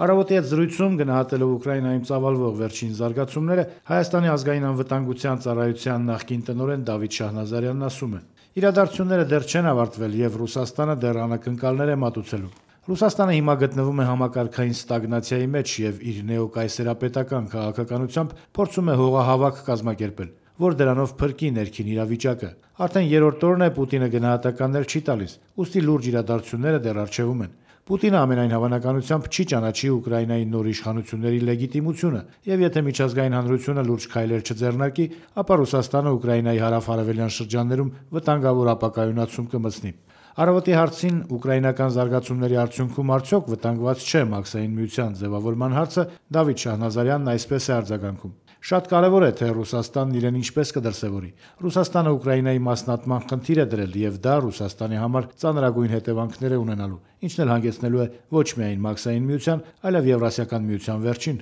Առավոտի հետ զրույցում գնահատելով Ուկրաինայում ծավալվող վերջին զարգացումները, Հայաստանի ազգային անվտանգության ծառայության նախկին տնօրեն Դավիթ Շահնազարյանն ասում է. «Իրադարձությունները դեռ չեն ավարտվել եւ Ռուսաստանը դեռ անակնկալներ է մատուցելու։ Ռուսաստանը հիմա գտնվում է համակարգային ստագնացիայի մեջ եւ իր նեոկայսերապետական քաղաքականությամբ փորձում է հողահավաք կազմակերպել, որ դրանով փրկի ներքին իրավիճակը։ Արդեն երրորդ օրն է Պուտինը գնահատականներ չի տալիս, ուստի լուրջ իրադարձությունները դեռ առջևում են։ Պուտինը ամենայն հավանականությամբ չի ճանաչի Ուկրաինայի նոր իշխանությունների լեգիտիմությունը, եւ եթե միջազգային հանրությունը լուրջ քայլեր չձեռնարկի, ապա Ռուսաստանը Ուկրաինայի հարավ-արևելյան շրջաններում վտանգավոր ապակայունացում կմտցնի»։ Առավոտի հարցին ուկրաինական զարգացումների արդյունքում արդյոք վտանգված չէ Մաքսային միության ձևավորման հարցը, Դավիթ Շահնազարյանն այսպես է արձագանքում. «Շատ կարևոր է, թե Ռուսաստանն իրեն ինչպես կդրսևորի։ Ռուսաստանը Ուկրաինայի մասնատման խնդիր է դրել եւ դա Ռուսաստանի համար ծանրագույն հետևանքներ է ունենալու, ինչն էլ հանգեցնելու է ոչ միայն Մաքսային միության, այլև Եվրասիական միության վերջին»։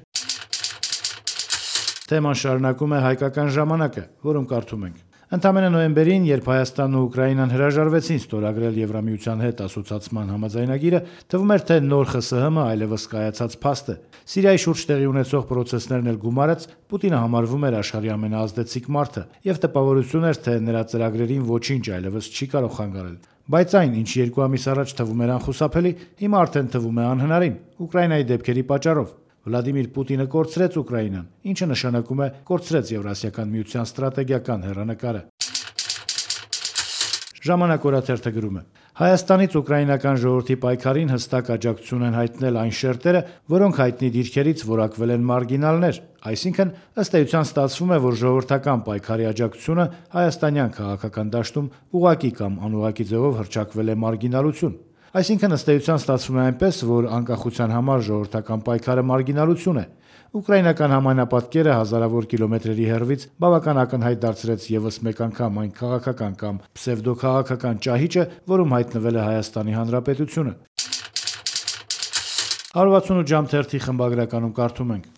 Թեման շարունակում է Հայկական ժամանակը, որում կարդում ենք. Ընդամենը նոյեմբերին, երբ Հայաստանն ու Ուկրաինան հրաժարվեցին ստորագրել Եվրամիության հետ ասոցացման համաձայնագիրը, թվում էր, թե նոր ԽՍՀՄ այլևս կայացած փաստ է։ Սիրիայի շուրջ տեղի ունեցող պրոցեսներն էլ գումարած, Պուտինը համարվում էր աշխարհի ամենաազդեցիկ մարդը եւ տպավորություն էր, թե նրա ծրագրերին ոչինչ այլևս չի կարող խանգարել։ Բայց այն, ինչ 2 ամիս առաջ թվում էր անխուսափելի, հիմա արդեն թվում է անհնարին Ուկրաինայի դեպքերի պատճառով։ Վլադիմիր Պուտինը կորցրեց Ուկրաինան, ինչը նշանակում է կորցրեց Եվրասիական միության ստրատեգիական հեռանկարը։ Ժամանակ օրաթերթը գրում է. Հայաստանից ուկրաինական ժողովրդի պայքարին հստակ աջակցություն են հայտնել այն շերտերը, որոնք հայտնի դիրքերից որակվել են մարգինալներ, այսինքն ըստ էության ստացվում է, որ ժողովրդական պայքարի աջակցությունը հայաստանյան քաղաքական դաշտում ուղղակի կամ անուղղակի ձևով հռչակվել է մարգինալություն։ Այսինքն ըստ էության ստացվում է այնպես, որ անկախության համար ժողովրդական պայքարը մարգինալություն է։ Ուկրաինական համայնապատկերը հազարավոր կիլոմետրերի հեռվից բավական ակնհայտ դարձրեց եւս մեկ անգամ այն քաղաքական կամ պսևդոքաղաքական ճահիճը, որում հայտնվել է Հայաստանի Հանրապետությունը։ 168 ժամ թերթի խմբագրականում կարդում ենք.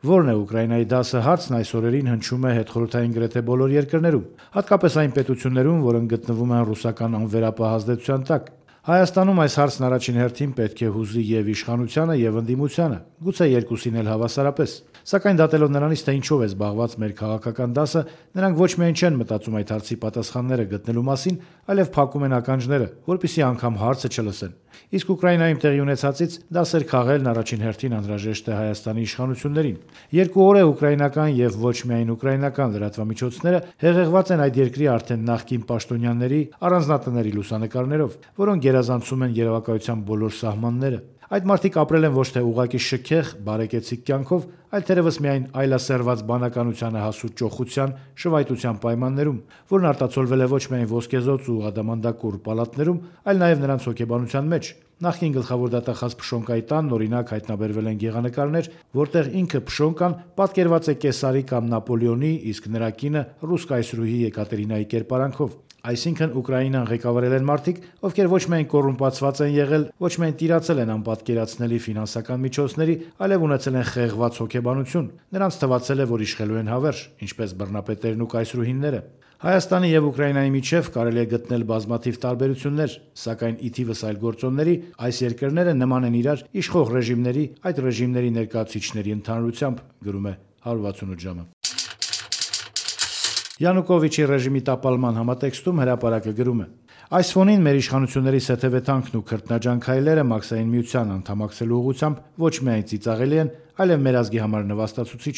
Որն է Ուկրաինայի դասը հարցն այս օրերին հնչում է հետխորհրդային գրեթե բոլոր երկրներում, հատկապես այն պետություններում, որոնք գտնվում են ռուսական անվերապահ ազդեցության տակ։ Հայաստանում այս հարցն առաջին հերթին պետք է հուզի եւ իշխանությանը եւ ընդդիմությանը, գուցե երկուսին էլ հավասարապես։ Սակայն դատելով նրանից, թե ինչով է զբաղված մեր քաղաքական դասը, նրանք ոչ միայն չեն մտածում այդ հարցի պատասխանները գտնելու մասին, այլև փակում են ականջները, որպեսզի անգամ հարցը չլսեն։ Իսկ Ուկրաինայում տեղի ունեցածից դասեր քաղելն առաջին հերթին անհրաժեշտ է Հայաստանի իշխանություններին։ 2 օր է ուկրաինական եւ ոչ միայն ուկրաինական լրատվամիջոցները հեղեղված են այդ երկրի արդեն նախկին պաշտոնյաների առանձնատների լուսանկարներով, որոնք գերազանցում են երևակայության բոլոր սահմանները։ Այդ մարդիկ ապրել են ոչ թե ուղղակի շքեղ, բարեկեցիկ կյանքով, այլ թերևս միայն այլասերված բանականությանը հասու ճոխության, շվայտության պայմաններում, որն արտացոլվել է ոչ միայն ոսկեզոծ ու ադամանդակուռ պալատներում, այլ նաև նրանց հոգեբանության մեջ։ Նախկին գլխավոր դատախազ Փշոնկայի տանն օրինակ հայտնաբերվել են գեղանկարներ, որտեղ ինքը Փշոնկան պատկերված է Կեսարի կամ Նապոլեոնի, իսկ նրա կինը ռուս կայսրուհի Եկատերինայի կերպարանքով։ Այսինքն Ուկրաինան ղեկավարել են մարդիկ, ովքեր ոչ միայն կոռումպացված են եղել, ոչ միայն տիրացել են անպատկերացնելի ֆինանսական միջոցների, այլև ունեցել են խեղված հոգեբանություն։ Նրանց թվացել է, որ իշխելու են հավերժ, ինչպես բռնապետերն ու կայսրուհիները։ Հայաստանի եւ Ուկրաինայի միջև կարելի է գտնել բազմաթիվ տարբերություններ, սակայն ի թիվս այլ գործոնների այս երկրները նման են իրար իշխող ռեժիմների, այդ ռեժիմների ներկայացուցիչների ընդհանրությամբ, գրում է 168 ժամը։ Յանուկովիչի ռեժիմի տապալման համատեքստում հրապարակը գրում է. Այս ֆոնին մեր իշխանությունների սեթևեթանքն ու քրտնաջան քայլերը Մաքսային միության անդամակցելու ուղղությամբ ոչ միայն ծիծաղելի են, այլև մեր ազգի համար նվաստացուցիչ։